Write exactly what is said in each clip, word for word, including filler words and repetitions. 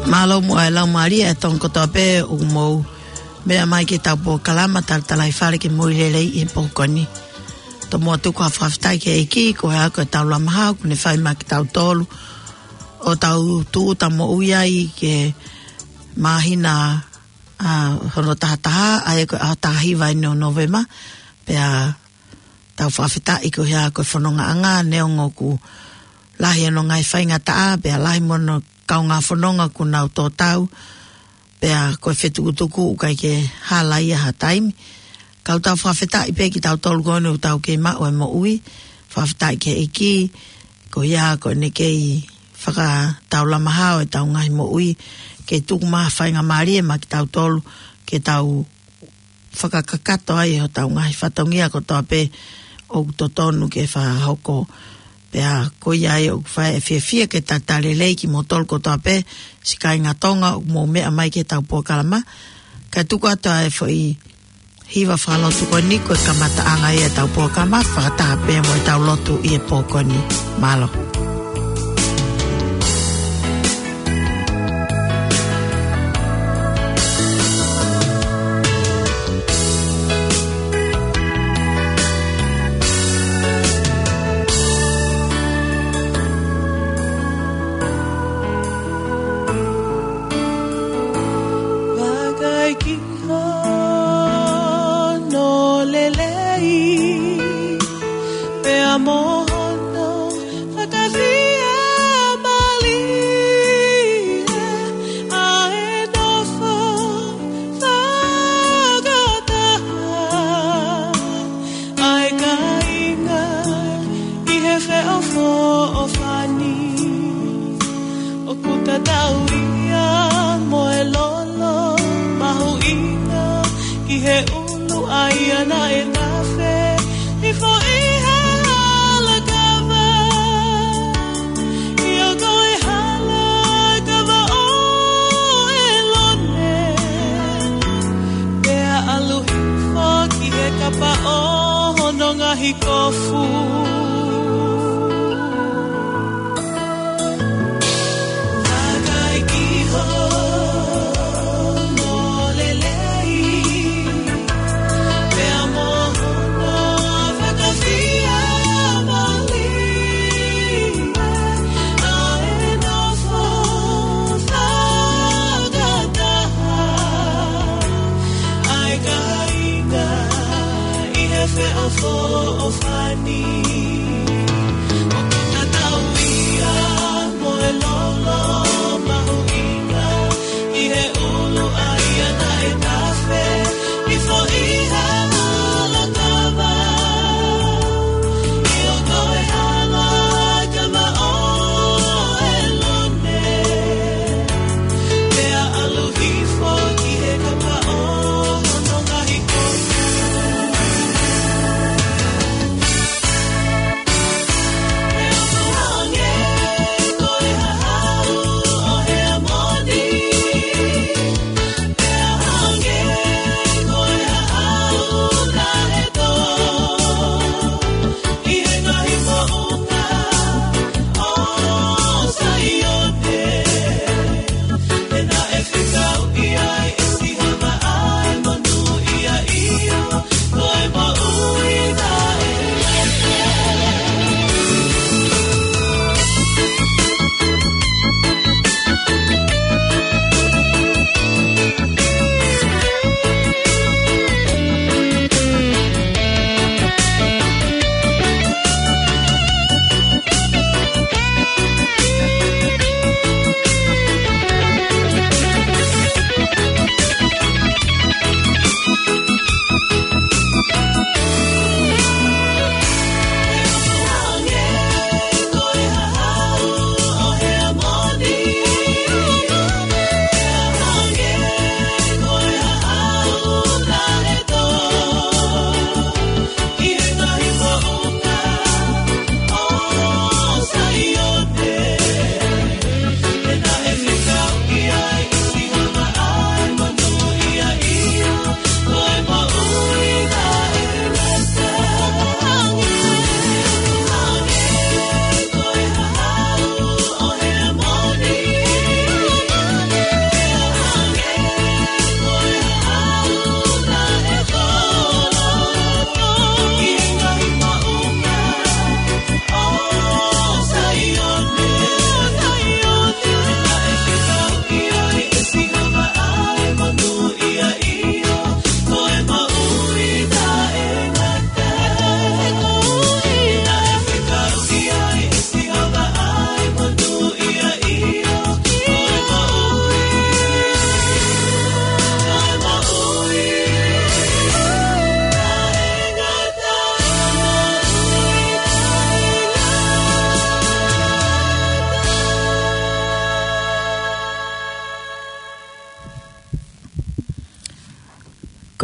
Mālō muʻa e laumālie ʻa e Tonga kotoa pē ʻoku mou meʻa mai ki heʻetau polokalama Talatalaifale ki he Moʻui Lelei ʻi he pō ko eni. Tomuʻa tuku ha fakafetaʻi ki he ʻEiki, ko e hā ko ʻetau lamaha ʻoku ne fai maʻa kitautolu ʻo tau tūʻuta moʻui ai ki he māhina, ʻa, hono tahataha, ʻa ia ko e ʻaho taha hiva ʻeni ʻo Nōvema, pea tau fakafetaʻi ko e hā ko e fonongaʻanga, neongo ʻoku lahi hono ngaahi faingataʻa, pea lahi mo hono kaungā fononga ʻoku nau tō tau, pea ko e fetukutuku ʻoku ʻikai ke hala ia ha taimi. Ka ʻoku tau fakafetaʻi pē kitautolu ko eni ʻoku tau kei maʻu e moʻui, fakafetaʻi ki he ʻEiki, ko ia ko ʻene kei fakataulamaha ʻo ʻetau ngaahi moʻui, ke tuku mai ha faingamālie maʻa kitautolu, ke tau fakakakato ai hotau ngaahi fatongia kotoa pē ʻoku totonu ke fakahoko. Pea ko ia ai ʻoku fai e fiefia ke talitali lelei kimoutolu kotoa pē, siʻi kāinga Tonga ʻoku mou meʻa mai ki heʻetau polokalama. Kae tuku atu ʻa e foʻi hiva fakalotu ko eni ko e kamataʻanga ia ʻetau polokalama, fakataha pē mo ʻetau lotu ʻi he pō ko eni. Mālō. Vakai ki hono lelei, pea mo hono fakafiemālie, ʻa e nofo fakataha ʻa e kāinga ʻi he feʻofoʻofani. ʻOku tatau ia mo e lolo mahuʻinga ki he ʻulu, ʻa ia naʻe nafe hifo ʻi he halakava, ʻio ko e halakava ʻo ʻElone, pea ʻalu hifo ki he kapa ʻo hono ngaahi kofu. Vakai ki hono lelei, pea mo hono fakafiemālie, ʻa e nofo fakataha ʻa e kāinga ʻi he feʻofoʻofani.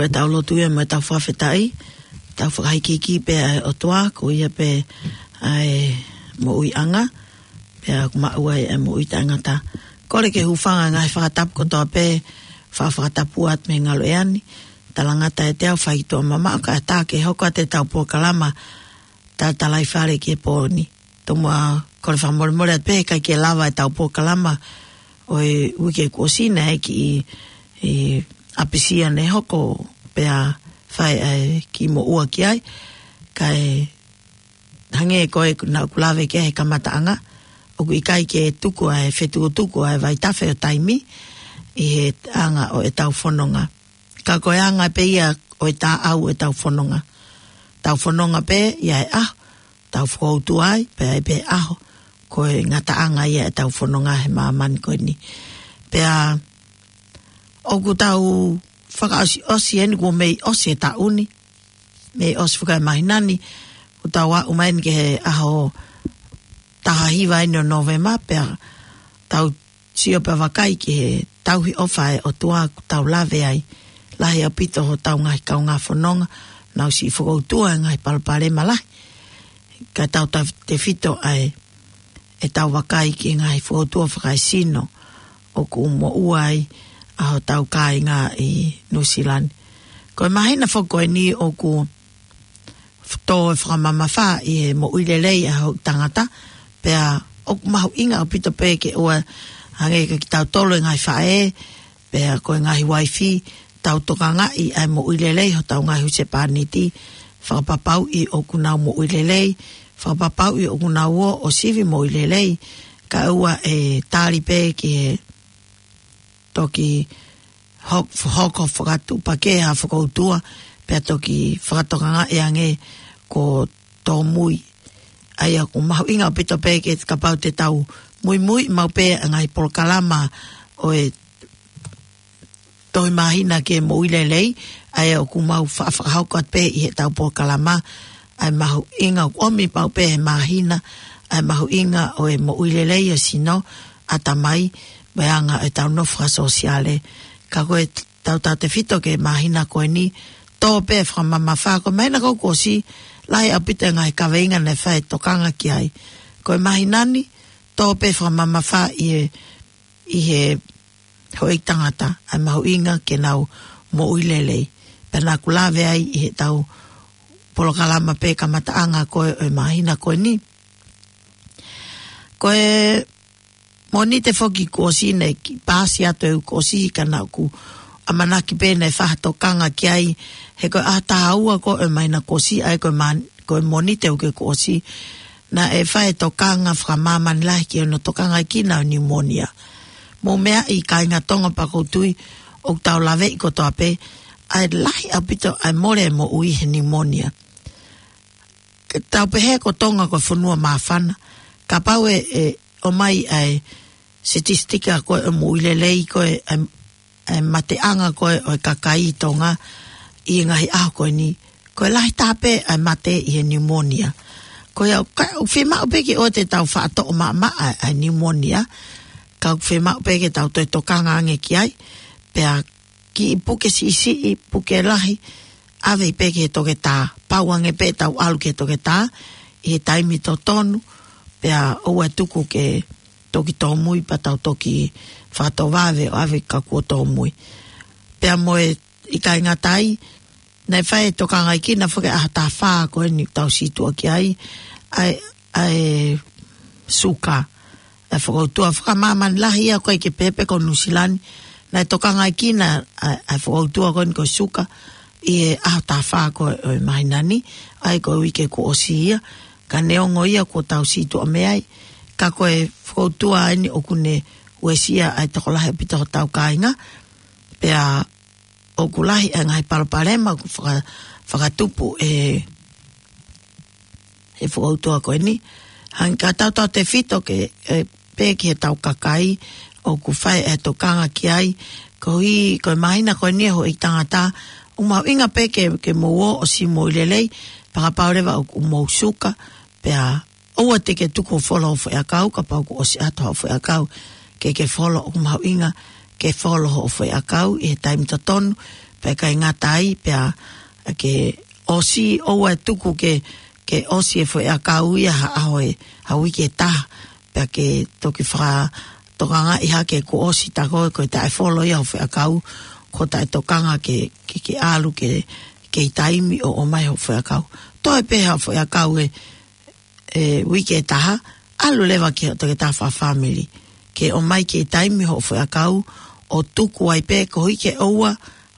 Pea tau lotu ia mo e tau fakafetaʻi, tau fakahikihiki pē ʻa e ʻOtua, ko ia pē ʻa e moʻuiʻanga, pea ʻoku maʻu ai ʻa e moʻui taʻengata. Kole ke hūfanga ngaahi fakatapu kotoa pē, fa-, fakatapu atu mei he ngaluʻea ni, talangata ʻiate au fai tuʻa mamaʻo kae ʻatā ke hoko atu e tau polokalama, Tatalaifale ki he pō ni. Tomuʻa kole fakamolemole atu pē, ʻikai ke lava e tau polokalama ʻo e uike kuo ʻosi naʻe kiʻi, ʻi ʻapisia naʻe hoko pea fai ʻa e kiʻi moʻua ki ai. Kae hangē ko e naʻa ku lave ki ai he kamataʻanga, ʻoku ʻikai ke tuku ʻa e fetukutuku ʻa e vaitafe ʻo taimi ʻi he anga ʻo e tau fononga. Ka ko e anga pē ia ʻo e taʻau e tau fononga. Tau fononga pē ia e ʻaho, tau fokoutua ai, pea ʻi ai pē ʻaho, ko e ngataʻanga ia e tau fononga he māmani ko eni. Pea ʻoku tau fakaʻosiʻosi eni kuo mei ʻosi e taʻu ni, mei ʻosi faka e māhina ni, ʻoku tau aʻu mai eni ki he ʻaho taha hiva eni ʻo Nōvema, pea tau sio pea vakai ki he tauhi ʻofa e ʻOtua ʻoku tau lave ai. Lahi ʻaupito hotau ngaahi kaungā fononga, nau siʻi fokoutua e ngaahi palopalema lahi. Ka tau tau tefito ai e tau vakai ki he ngaahi fokoutua fakaesino ʻoku moʻua ai ʻa hotau kāinga ʻi Nuʻusila ni. Ko e māhina foki ko eni ʻoku tō e fakamamafa ʻi he moʻui lelei ʻa e houʻeiki tangata, pea ʻoku mahuʻinga ʻaupito pē ke ʻoua hangē ko kitautolu e ngaahi faʻē, pea ko e ngaahi uaifi, tau tokangaʻi ʻa e moʻui lelei hotau ngaahi husepāniti, fakapapauʻi ʻoku nau moʻui lelei, fakapapauʻi ʻoku nau ō ʻo sivi moʻui lelei, kae ʻoua ʻe tali pē ki he toki hok-, hoko fakatuʻupakē ha fokoutua, pea toki fakatokangaʻi ange ko tōmui. ʻA ia ʻoku mahuʻinga ʻaupito pē ke kapau te tau muimui maʻu pē ʻa e ngaahi polokalama ʻo e tohi māhina ki he moʻui lelei, ʻa ia ʻoku mau fa-, fakahoko atu pē ʻi he tau polokalama, ʻa e mahuʻinga ʻoku ʻomi maʻu pē he māhina, ʻa e mahuʻinga ʻo e moʻui lelei ʻo e sino, ʻatamai, mo e anga ʻo e tau nofo fakasōsiale. Ka ko e tau tau tefito ki he māhina ko eni, tō pē fakamamafa, ko e māhina ko ē kuo ʻosi, lahi ʻaupito e ngaahi kaveinga naʻe fai e tokanga ki ai. Ko e māhina ni, tō pē fakamamafa ʻi he, ʻi he houʻeiki tangata, ʻa e mahuʻinga ke nau moʻui lelei. Pea naʻa ku lave ai ʻi he tau polokalama pē kamataʻanga ko ē ʻo e māhina ko eni. Ko e Mōnite foki kuo ʻosi naʻe kiʻi pāsi atu e uike kuo ʻosi ka naʻa ku ʻamanaki pē naʻe fai ha tokanga ki ai, he ko e ʻaho taha ua ko ē ʻo e māhina kuo ʻosi, ʻa ia ko e mā-, ko e Mōnite uike kuo ʻosi, naʻe fai e tokanga fakamāmani lahi ki hono tokangaʻi kinaua e niumonia. Mou meaʻi kāinga Tonga pea ʻoku ou tui ʻoku tau laveʻi kotoa pē, ʻa e lahi ʻaupito ʻa e mole e moʻui he niumonia. Ke tau pehē ko Tonga ko e fonua māfana, kapau ʻe, ʻe ʻomai ʻa e sitisitiki ko ē ʻo e moʻui lelei ko ē, ʻa e, ʻa e mateʻanga ko ē ʻo e kakai ʻi Tonga ʻi he ngaahi ʻaho ko eni, ko e lahi taha pē ʻa e mate ʻi he niumonia. Ko ia, ka, ʻoku fiemaʻu pē ke ʻoua te tau faʻa toʻo maʻamaʻa ʻa e niumonia, ka ʻoku fiemaʻu pē ke tau toe tokanga ange ki ai, pea kiʻi puke siʻisiʻi, puke lahi, ʻave pē ki he toketā, pau ange pē tau ʻalu ki he toketā, ʻi he taimi totonu, pea ʻoua ʻe tuku ke toki tōmui pea tau toki fakatovave ʻo ʻave ka kuo tōmui. Pea mo e ʻikai ngata ai, naʻe fai e tokangaʻi kinaua foki ʻaho taha fā ko eni tau sītuʻa ki ai, ʻa e, ʻa e suka, ʻa e fokoutua fakamāmani lahi ia ko ē ke pehē pē ko Nuʻusila ni, naʻe tokangaʻi kinaua ʻa e, ʻa e fokoutua ko eni ko e suka, ʻi he ʻaho taha fā ko ē ʻo e māhina ni, ʻa ia ko e uike kuo ʻosi ia, ka neongo ia kuo tau sītuʻa mei ai, ka ko e fokoutua eni ʻoku ne uesia ʻa e tokolahi ʻaupito hotau kāinga, pea ʻoku lahi e ngaahi palopalema ʻoku faka-, fakatupu ʻe he fokoutua ko eni. Hangē ka tau tau tefito ke, ʻe, pē ki he tau kakai ʻoku fai e tokanga ki ai. Koeʻuhi, ko e māhina ko eni e houʻeiki tangata, ʻoku mahuʻinga pē ke, ke mou ō ʻo siʻi moʻui lelei, fakapapau leva ʻoku mou suka, pea ʻoua te ke tuku ʻo folo hoʻo foʻiʻakau, kapau kuo ʻosi ʻato hoʻo foʻiʻakau, ke ke folo, ʻoku mahuʻinga ke folo hoʻo foʻiʻakau ʻi he taimi totonu, pea ʻikai ngata ai, pea ke ʻosi, ʻoua ʻe tuku ke, ke ʻosi e foʻi ʻakau ia ha ʻaho ʻe, ha uike ʻe taha, pea ke toki fakatokangaʻi hake kuo ʻosi tā koe, ko e taʻefolo ia hoʻo foʻi ʻakau, ko e taʻetokanga ke, ke, ke ʻalu ke, ke ʻi taimi ʻo ʻomai hoʻo foʻi ʻakau. Toe pē ha foʻi ʻakau ʻe, ʻe uike ʻe taha, ʻalu leva ki hoʻo toketā fakafāmili ke ʻomai ke ʻi taimi hoʻo foʻi ʻakau, ʻo tuku ai pē koeʻuhi ke ʻoua,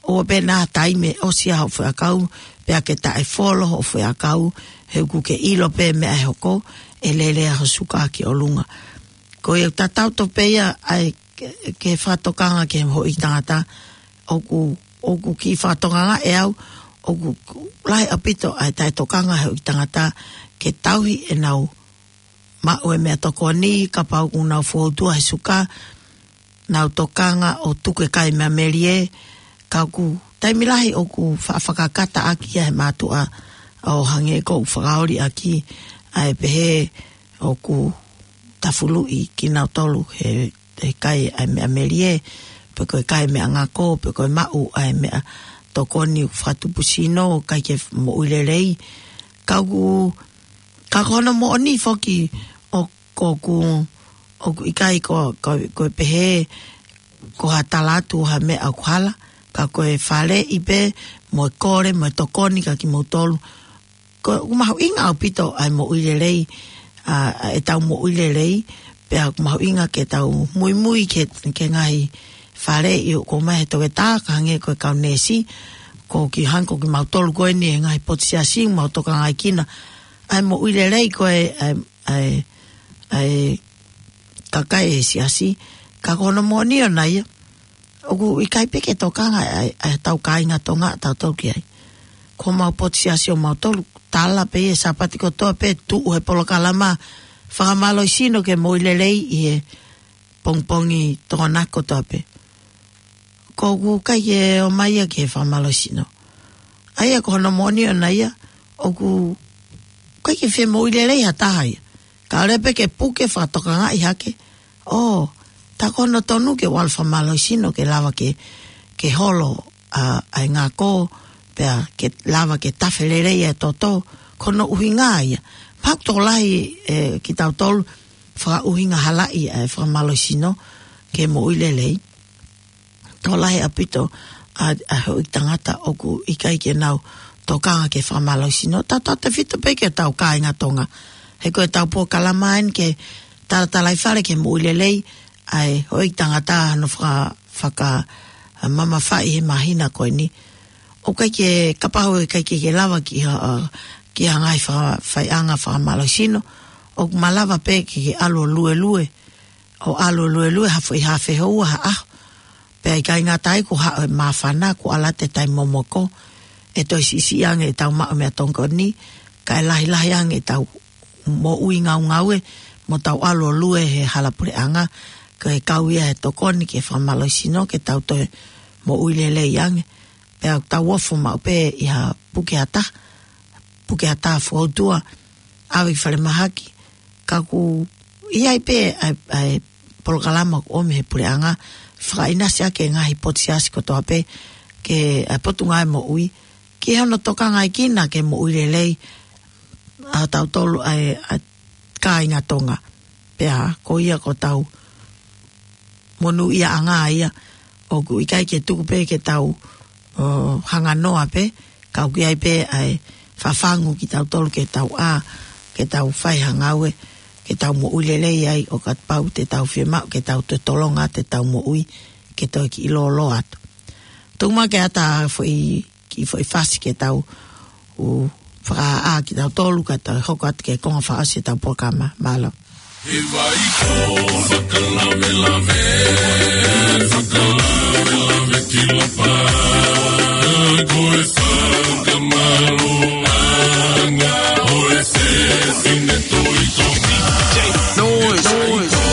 ʻoua pē naʻa taimi ʻosi ʻa hoʻo foʻi ʻakau, pea ke taʻefolo hoʻo foʻi ʻakau, he ʻoku ke ʻilo pē meʻa ʻe hoko, ʻe lele ʻa hoʻo suka ki ʻolunga. Ko ia tatau tofu pē ia ʻa e ke, ke fakatokanga ki he houʻeiki tangata, ʻoku, ʻoku kiʻi fakatokanga ʻe au, ʻoku lahi ʻaupito ʻa e taʻetokanga he houʻeiki tangata, ke tauhi ʻenau maʻu e meʻatokoni, kapau ʻoku nau fōtua he suka, nau tokanga ʻo tuku e kai meʻa melie, ka ʻoku taimi lahi ʻoku fa-, fakakata ʻaki ia he mātuʻa ʻo hangē ko ʻeku fakaoli ʻaki ʻa e pehē ʻoku tafuluʻi kinautolu he, he kai ʻa e meʻa melie, pe ko e kai meʻa ngako, pe ko e maʻu ʻa e meʻatokoni ʻoku fakatupu sino, ʻikai ke moʻui lelei. Ka ʻoku, ka ko hono moʻoni foki ʻo, ʻoku, ʻoku ʻikai ko, ko, ko e pehē, ko ha tala atu ha meʻa ʻoku hala, ka ko e faleʻi pē, mo e kole, mo e tokoni kia kimoutolu. Ko, ʻoku mahuʻinga ʻaupito ʻa e moʻui lelei, ʻa, ʻa ʻetau moʻui lelei, pea ʻoku mahuʻinga ke tau muimui ke, ke ngaahi faleʻi ʻoku ʻomai he toketā, ka hangē ko e kau neesi, ko ki hangē ko kimautolu ko eni he ngaahi potu siasi, mau tokangaʻi kina ʻa e moʻui lelei ko e, ʻa e, ʻa e, ʻa e kakai ʻe he siasi, ka ko hono moʻoni ʻona ia, ʻoku ʻikai pē ke tokanga ʻa e, ʻa e tau kāinga Tonga ʻa tautolu ki ai. Ko homau potu siasi ʻomautolu, tala pē ʻi he Sāpate kotoa pē tuʻu he polokalama fakamālohisino ke moʻui lelei ʻi he pongipongi Tokonaki kotoa pē. Ko ʻoku ʻikai ke ʻomai ia ki he fakamālohisino. ʻA ia ko hono moʻoni ʻona ia, ʻoku ʻikai ke fie moʻui lelei ha taha ia. Ka ʻoua pē ke puke fakatokangaʻi hake. ʻO, tā ko hono tonu ke ʻalu fakamālohisino ke lava ke, ke holo ʻa, ʻa e ngako, pea ke lava ke tafe lelei ʻa e toto, ko hono ʻuhinga ia. Pea ʻoku tokolahi, ʻe, kitautolu, fakaʻuhinga halaʻi ʻa e fakamālohisino ke moʻui lelei. Tokolahi ʻaupito ʻa, ʻa e houʻeiki tangata ʻoku ʻikai ke nau tokanga ki he fakamālohisino. Tautautefito pē ki hotau kāinga Tonga. He ko ʻetau polokalama eni ke talatalaifale ki he moʻui lelei ʻa e houʻeiki tangata hano faka-, faka-, ʻa, mamafaʻi he māhina ko eni. ʻOku ʻikai ke, kapau ʻe ʻikai ke, ke lava ki ha, ʻa, ki ha ngaahi faka-, faiʻanga fakamālohisino, ʻoku malava pē ke, ke ʻalu ʻo luelue, ʻo ʻalu ʻo luelue ha foʻi haafe houa ha ʻaho. Pea ʻikai ngata ai kuo haʻu e māfana, kuo ʻalu atu e taimi momoko, ʻe toe siʻisiʻi ange ʻetau maʻu meʻatokoni, kae lahilahi ange ʻetau moʻui ngaungaue, mo tau ʻalu ʻo lue he hala puleʻanga, ko e kau ia he tokoni ki he fakamālohisino, ke tau toe moʻui lelei ange. Pea tau ofo maʻu pē ʻi ha puke ʻa taha, puke ʻa taha fōtua, ʻave ki falemahaki, ka ʻoku ʻi ai pē ʻa e, ʻa e polokalama ʻoku ʻomi he puleʻanga, fakaʻinasi ʻaki e ngaahi potu siasi kotoa pē, ke ʻa e Potungāue Moʻui, ki hono tokangaʻi kina ke moʻui lelei ʻa tautolu ʻa e, ʻa e kāinga Tonga. Pea ko ia ko ʻetau monūʻiaʻanga ia, ʻoku ʻikai ke tuku pē ke tau, ʻo, hanga noa pē, ka ʻoku ʻi ai pē ʻa e fafangu kitautolu ke tau ʻā, ke tau fai ha ngāue, ke tau moʻui lelei ai ʻo kapau te tau fiemaʻu ke tau totolonga ʻetau moʻui, ke toe kiʻi lōloa atu. Tuku mai ke ʻatā foʻi kiʻi foʻi fasi ke tau ʻū fakaʻā kitautolu kae tau hoko atu ki he konga fakaʻosi ʻetau polokalama. Mālō. He vai ko fakalavelave, fakalavelave ki lapa. Ko e fakamālō ʻanga ʻo e fefine Tohi Tonga. Noise.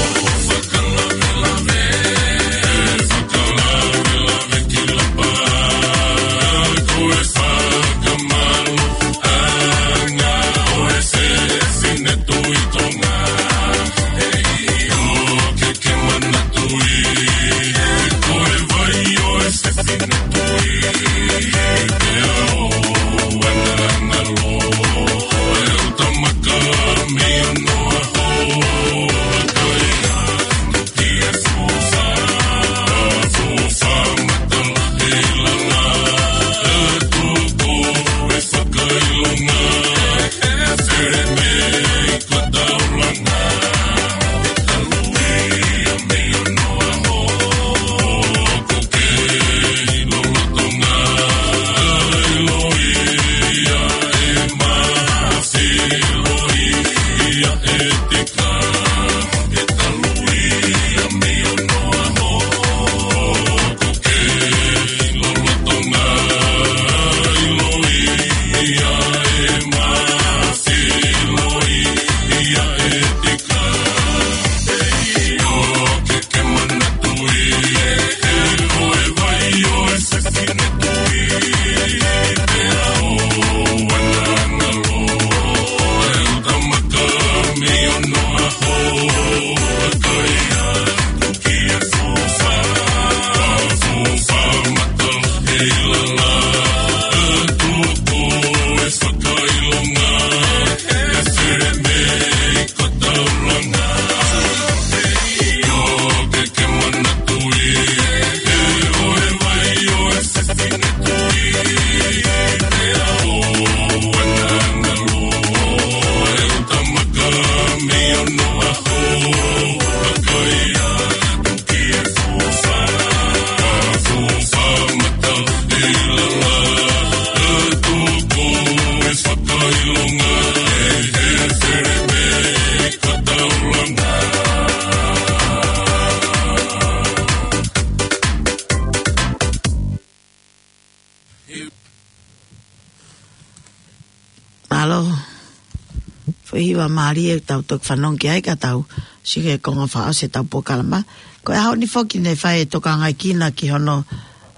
Ko e hiva mālie ʻoku tau toki fanongo ki ai ka tau sio ki he konga fakaʻosi ʻetau polokalama. Ko e ʻaho ni foki naʻe fai e tokangaʻi kina ki hono,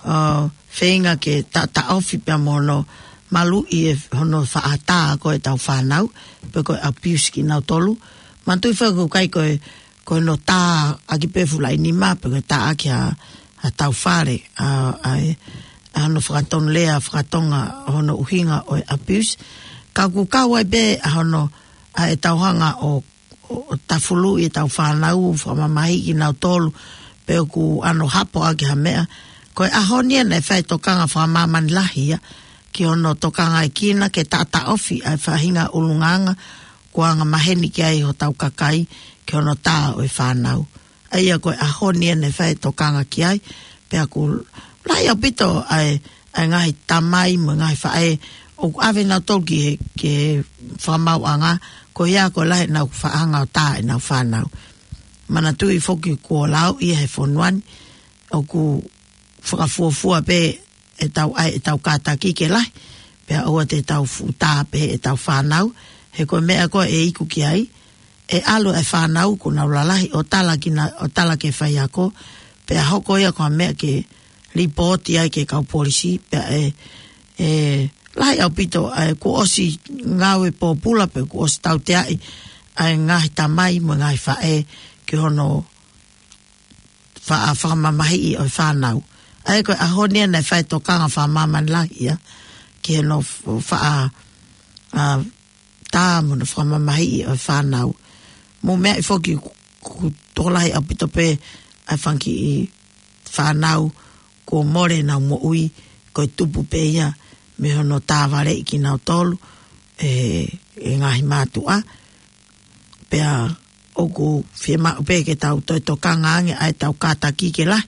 ʻo, feinga ke ta-, taʻofi pea mo hono maluʻi e hono faʻa tā ko ē ʻetau fānau, pe ko e abuse kinautolu. Manatuʻi foki ʻoku ʻikai ko e, ko hono tā ʻaki pē fuʻu laʻi nima, pe ko e tā ʻaki ʻa, ʻa ʻetau fale, ʻa, ʻa e, ʻa hono fakatonulea fakatonga hono ʻuhinga ʻo e abuse. Ka ʻoku kau ai pē ʻa hono, ʻa ʻetau hanga ʻo, ʻo, ʻo tafuluʻi ʻetau fānau, fakamamahiʻi kinautolu, pe ʻoku ʻano hapo ʻaki ha meʻa. Ko e ʻaho ni ia naʻe fai e tokanga fakamāmani lahi ia, ki hono tokangaʻi kina ke ta-, taʻofi ʻa e faʻahinga ʻulungaanga, kuo anga maheni ki ai hotau kakai, ki hono tā ʻo e fānau. ʻA ia ko e ʻaho ni ia naʻe fai e tokanga ki ai, pea ʻoku lahi ʻaupito ʻa e, ʻa e ngaahi tamai mo e ngaahi faʻē, ʻoku ʻave nautolu ki he, ki he fakamaauʻanga, ko ia ko e lahi ʻenau faʻa hanga ʻo tā ʻenau fānau. Manatuʻi foki kuo lau ia he fonua ni, ʻoku fakafuofua pē ʻetau ʻai ʻetau kātaki ke lahi, pea ʻoua te tau fuʻu tā pē ʻetau fānau, he ko e meʻa ko ē ʻe iku ki ai, ʻe ʻalu e fānau kuo nau lalahi ʻo tala kina, ʻo tala ki he faiako, pea hoko ia ko ha meʻa ke lipooti ai ki he kau polisi, pea ʻe, ʻe lahi ʻaupito, ʻa e kuo ʻosi ngāue pōpula pe kuo ʻosi tauteaʻi ʻa e ngaahi tamai mo e ngaahi faʻē ki hono faʻa fakamamahiʻi ʻo e fānau. ʻA ia ko e ʻaho ni ia naʻe fai e tokanga fakamāmani lahi ia, ki hono f-, faʻa, ʻa, tā mo hono fakamamahiʻi ʻo e fānau. Mou meaʻi foki ʻoku, ʻoku tokolahi ʻaupito pē ʻa e fanga kiʻi fānau kuo mole ʻenau moʻui, ko e tupu pē ia mei hono tāvaleʻi kinautolu ʻe, ʻe he ngaahi mātuʻa. Pea ʻoku fiemaʻu pē ke tau toe tokanga ange ʻa ʻetau kātaki ke lahi,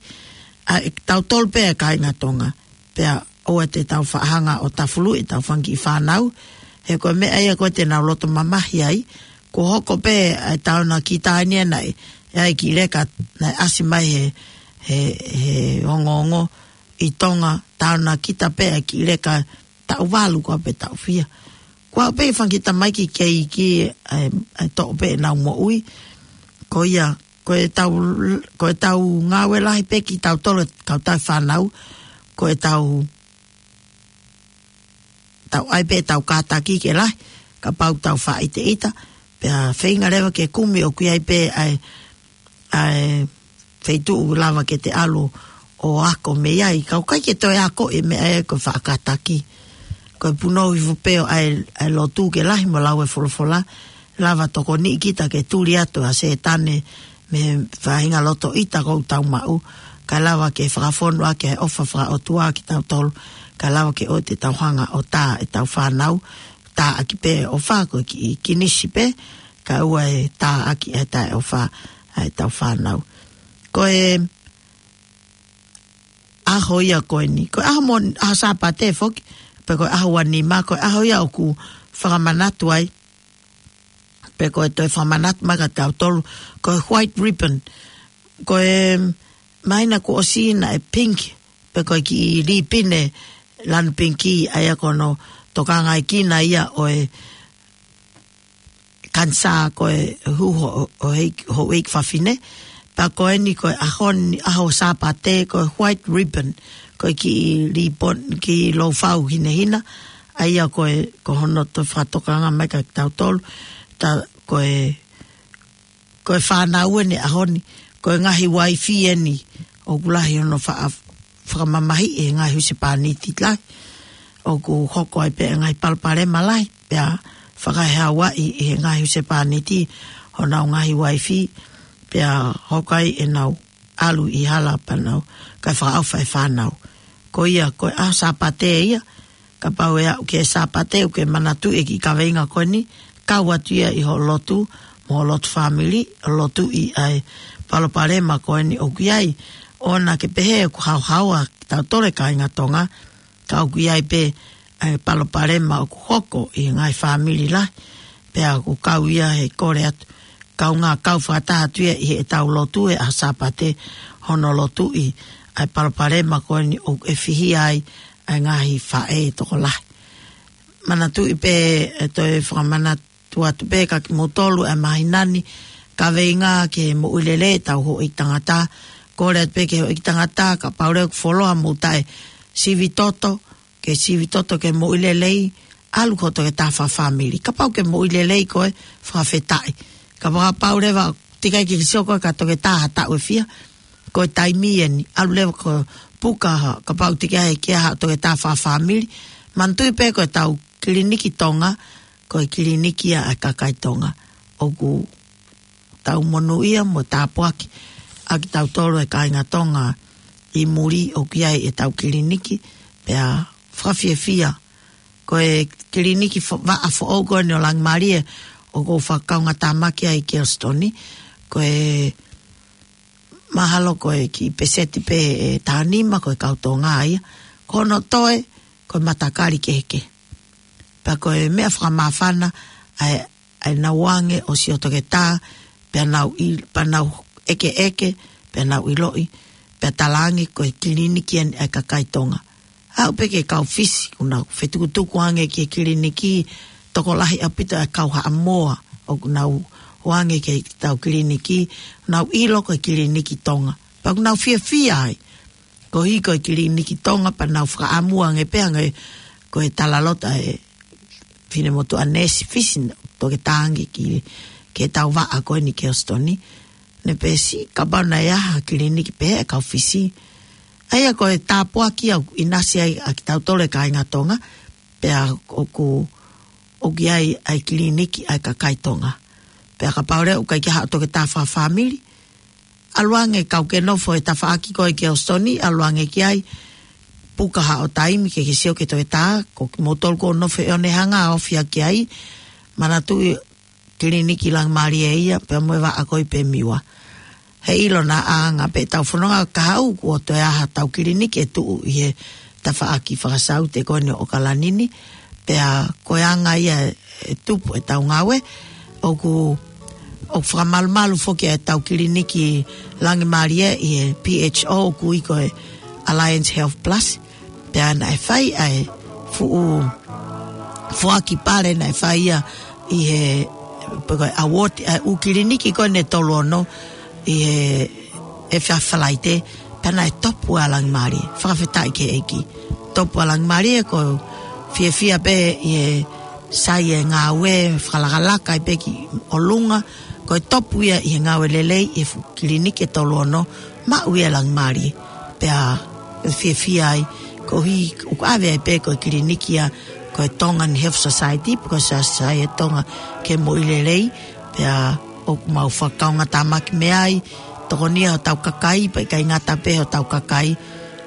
ʻa ʻetau tolu pē ʻa e kāinga Tonga. Pea ʻoua te tau faʻa hanga ʻo tafuluʻi ʻetau fanga kiʻi fānau, he ko e meʻa ia ko ē te nau loto mamahi ai, kuo hoko pē ʻa e taonakita ni ʻa ē naʻe, ʻa e kiʻi leka naʻe ʻasi mai he, he, he ongoongo ʻi Tonga, taonakita pē ʻa e kiʻi leka taʻu valu ko ē pe taʻu fiha. Ko e pē fanga kiʻi tamaiki kei iiki ʻa e, ʻa e toʻo pē ʻenau moʻui. Ko ia, ko ʻetau, ko ʻetau ngāue lahi pē kitautolu kau tau fānau, ko ʻetau, tau ʻai pē ʻetau kātaki ke lahi, kapau tau faʻa ʻiteʻita, pea feinga leva ke kumi ʻoku ʻi ai pē ʻa e, ʻa e feituʻu lava ke te ʻalu ʻo ako mei ai, ka ʻoku ʻikai ke toe ako e meʻa ia ko e faʻa kātaki. Ko e punou hifo pē ʻo ʻai, ʻai lotu ke lahi mo lau e folofola, lava tokoniʻi kita ke tuli atu ʻa Sētane mei he faʻahinga loto ʻita ʻoku tau maʻu, kae lava ke fakafonu ʻaki ʻa e ʻofa fakaʻotua kitautolu, kae lava ke ʻoua te tau hanga ʻo tā ʻetau fānau, tā ʻaki pē ʻofa ko e kiʻi kinisi pē, kae ʻoua ʻe tā ʻaki ʻa e taʻeʻofa ʻa ʻetau fānau. Ko e ʻaho ia ko eni, ko e ʻaho mo, ʻaho Sāpate foki, pe ko e ʻaho ua nima, ko e ʻaho ia ʻoku fakamanatu ai, pe ko e toe fakamanatu mai kia tautolu, ko e white ribbon, ko e māhina kuo ʻosi naʻe pink, pe ko e kiʻi lipine lanu pinki, ʻa ia ko hono tokangaʻi kina ia ʻo e kanisā ko e hū ho-, ʻo e houʻeiki fafine. Pea ko eni ko e ʻaho ni, ʻaho Sāpate, ko e white ribbon, ko e kiʻi lipone, kiʻi lōfau hinehina, ʻa ia ko e, ko hono toe fakatokanga mai kia tautolu, tā ko e, ko e fānau eni ʻaho ni, ko e ngaahi uaifi eni, ʻoku lahi hono faʻa-, fakamamahiʻi ʻe he ngaahi husepāniti lahi. ʻOku hoko ai pē ʻa e ngaahi palopalema lahi, pea fakahauaʻi ʻe he ngaahi husepāniti honau ngaahi uaifi, pea hoko ai ʻenau ʻalu ʻi hala pea nau, kae fakaʻofa e fānau. Ko ia, ko e ʻaho Sāpate ia, kapau ʻe aʻu ki he Sāpate, ʻoku ke manatuʻi e kiʻi kaveinga ko eni, kau atu ia ʻi hoʻo lotu, mo hoʻo lotu fāmili, ʻo lotuʻi ʻa e palopalema ko eni ʻoku ʻi ai, ʻoua naʻa ke pehē ʻoku haohaoa kitautolu e kāinga Tonga, ka ʻoku ʻi ai pē ʻa e palopalema ʻoku hoko ʻi he ngaahi fāmili lahi, pea ʻoku kau ia he kole atu, kaungā kau fakataha atu ia ʻi heʻetau lotu he ʻaho Sāpate, hono lotuʻi ʻa e palopalema ko eni ʻoku ʻefihia ai ʻa e ngaahi faʻē tokolahi. Manatuʻi pē ʻe toe fakamanatu ʻoatu pē kia kimoutolu ʻa e māhina ni, kaveinga ki he moʻui lelei ʻetau houʻeiki tangata. Kole atu pē ki he houʻeiki tangata, kapau leva ʻoku fuoloa mou taʻe sivi toto, ke sivi toto ki he moʻui lelei, ʻalu ki hoʻo toketā fakafāmili. Kapau ʻoku ke moʻui lelei koe, fakafetaʻi. Kapau, kapau leva, teʻeki ai ke ke sio koe ki ha toketā ha taʻu ʻe fiha, ko e taimi eni, ʻalu leva ʻo puka ha, kapau teʻeki ai ke ʻi ai ha toketā fakafāmili, manatuʻi pē ko ʻetau kiliniki Tonga, ko e kiliniki ia ʻa e kakai Tonga. ʻOku tau monūʻia mo tāpuakiʻi kitautolu e kāinga Tonga ʻi muli ʻoku ʻi ai ʻetau kiliniki, pea fakafiefia. Ko e kiliniki fo-, vaʻa foʻou ko eni ʻo Langimālie ʻoku ou fakakaungātāmaki ai ʻi Kelsitoni, ko e mahalo ko e kiʻi peseti pē ʻe taha nima ko e kau Tonga ia. Ko hono toe, ko e matakali kehekehe. Pea ko e meʻa fakamāfana, ʻa e, ʻa e nau ō ange ʻo sio toketā, pea nau ʻi-, pea nau ʻekeʻeke, pea nau ʻiloʻi, pea talaange ko e kiliniki eni ʻa e kakai Tonga. Aʻu pē ki he kau Fisi, ʻoku nau fetukutuku ange ki he kiliniki, tokolahi ʻaupito ʻa e kau Haʻamoa, ʻoku nau ō ange ki heʻetau kiliniki, nau ʻilo ko e kiliniki Tonga. Pea ʻoku nau fiefia ai, koeʻuhi ko e kiliniki Tonga, pea nau fakaʻamu ange pē ange, ko e talaloto ʻa e finemotuʻa neesi Fisi, toketā ange ki, ki heʻetau vaʻa ko eni ʻi Kelsitoni. Ne pehē, kapau naʻe ʻi ai ha kiliniki pehē ʻa e kau Fisi. ʻA ia ko e tāpuaki ʻoku ʻinasi ai ʻa kitautolu e kāinga Tonga, pea ʻoku, ʻoku ʻi ai ʻa e kiliniki ʻa e kakai Tonga. Pea kapau leva ʻoku ʻikai ke ʻi ai haʻo toketā fakafāmili, ʻalu ange, kapau ʻoku ke nofo he tafaʻaki ko ē ʻi Kelsitoni, ʻalu ange ki ai, puka haʻo taimi ke ke sio ki he toketā, ko kimoutolu ʻoku nofo ʻi ʻOne, hanga ʻo ofi ʻaki ai, manatuʻi kiliniki Langimālie ia, pea mo e vaʻa ko ē ʻi Pemiua. Heiʻilo naʻa anga pē ʻetau fononga kahaʻu kuo toe ʻi ai haʻatau kiliniki ʻe tuʻu ʻi he tafaʻaki fakasaute ko eni ʻo ʻOkalani ni, pea ko e anga ia ʻe tupu ʻetau ngāue, ʻoku, ʻoku fakamalumalu foki ʻetau kiliniki Langimālie ʻi he P H O ʻoku ui ko e Alliance Health Plus, pea naʻe fai ʻa e fuʻu foaki pale naʻe fai ia ʻi he, pe ko e award, ʻa e ʻū kiliniki ko eni ʻe tolu ono ʻi he, ʻi he efiafi Falaite, pea naʻe topu ʻa Langimālie, fakafetaʻi ki he ʻEiki. Topu ʻa Langimālie, ʻoku ou fiefia pē ʻi he sai e ngāue, fakalakalaka ai pē ki ʻolunga, ko e topu ia ʻi he ngāue lelei, ʻi he fuʻu kiliniki ʻe tolu ono, maʻu ia ʻe Langimālie. Pea fiefia ai, koeʻuhi ʻoku ʻave ai pē ko e kiliniki ia, ko e Tongan Health Society, pe ko e Society Tonga ki he Moʻui Lelei, pea ʻoku mau fakakaungātāmaki mei ai, tokonia hotau kakai, pea ʻikai ngata pē hotau kakai,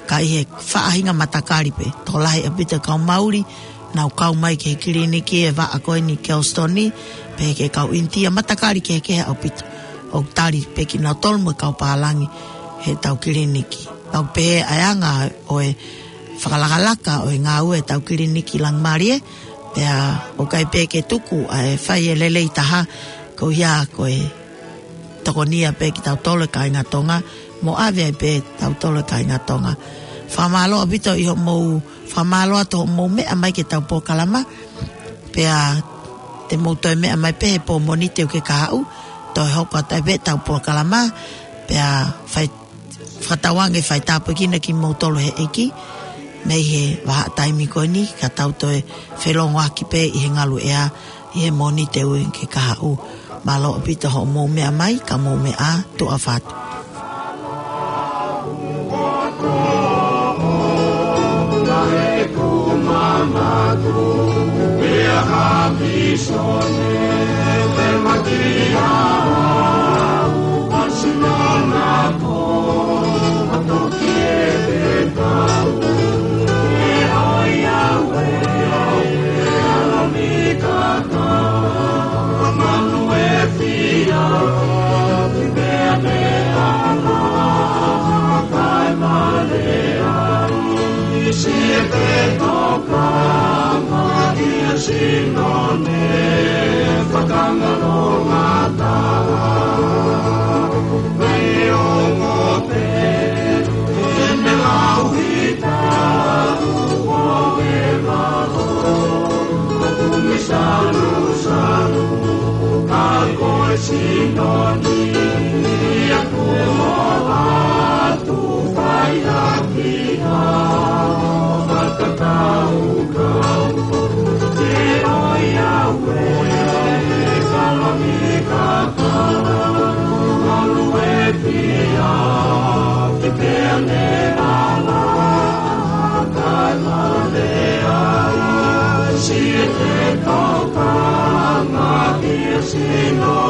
ka ʻi he faʻahinga matakali pē, tokolahi ʻaupito e kau Mauli, nau kau mai ki he kiliniki ʻi he vaʻa ko eni ʻi Kelsitoni, pehē ki he kau ʻInitia, matakali kehekehe ʻaupito. ʻOku tali pē kinautolu mo e kau pālangi heʻetau kiliniki. ʻOku pehē ʻa e anga ʻo e fakalakalaka ʻo e ngāue ʻetau kiliniki Langimālie, pea ʻoku ʻikai pē ke tuku ʻa e fai e lelei taha, ko ia ko e tokonia pē kitautolu e kāinga Tonga, mo ʻave ai pē kitautolu e kāinga Tonga. Fakamālō ʻaupito ʻi hoʻomou, fakamālō atu hoʻomou meʻa mai ki heʻetau polokalama, pea te mou toe meʻa mai pē he pō Mōnite ʻoku ke kahaʻu, toe hoko atu ai pē ʻetau polokalama, pea fai, fakatauange fai tāpuekina kimoutolu ʻe he ʻEiki, mei he vahaʻa taimi ko eni, ka tau toe felongoaki pē ʻi he ngaluʻea, ʻi he Mōnite ʻoku ke kahaʻu. Mālō ʻaupito hoʻomou meʻa mai, ka mou meʻa ā, tuʻa ʻofa atu. Sinoni aku atu fai ʻaki ha fakakaukau. Ke ʻoiauē, Salonika, ka ʻalu e fia ki Peaniala, kae mole ai siʻi tokanga ki he sino